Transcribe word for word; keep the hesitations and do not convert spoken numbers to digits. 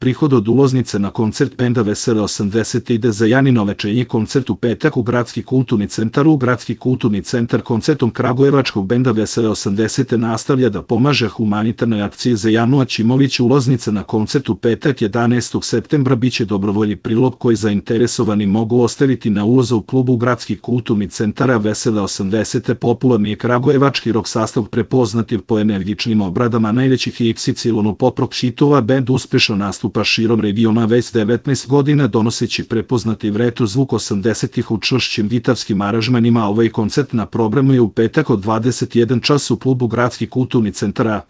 Prihod od ulaznice na koncert benda Vesele osamdeset ide za Janino večernji koncert u petak u Gradski kulturni centar. U Gradski kulturni centar koncertom kragujevačkog benda Vesele osamdeset nastavlja da pomaže humanitarnoj akciji za Janu Aćimović. Ulaznica na koncert u petak jedanaestog septembra biće dobrovoljni prilog koji zainteresovani mogu ostaviti na ulazu u klubu Gradski kulturni centar Vesele osamdeset. Popularni je kragujevački rock sastav prepoznativ po energičnim obradama najvećih iks ipsilon pop rock hitova. Bend uspešno nastupa širom regiona već devetnaest godina, donoseći prepoznativ retro zvuk osamdesetih u čvršćim gitarskim aranžmanima. Ovaj koncert na programu je u petak od dvadeset jedan čas u klubu Gradski kulturni centar.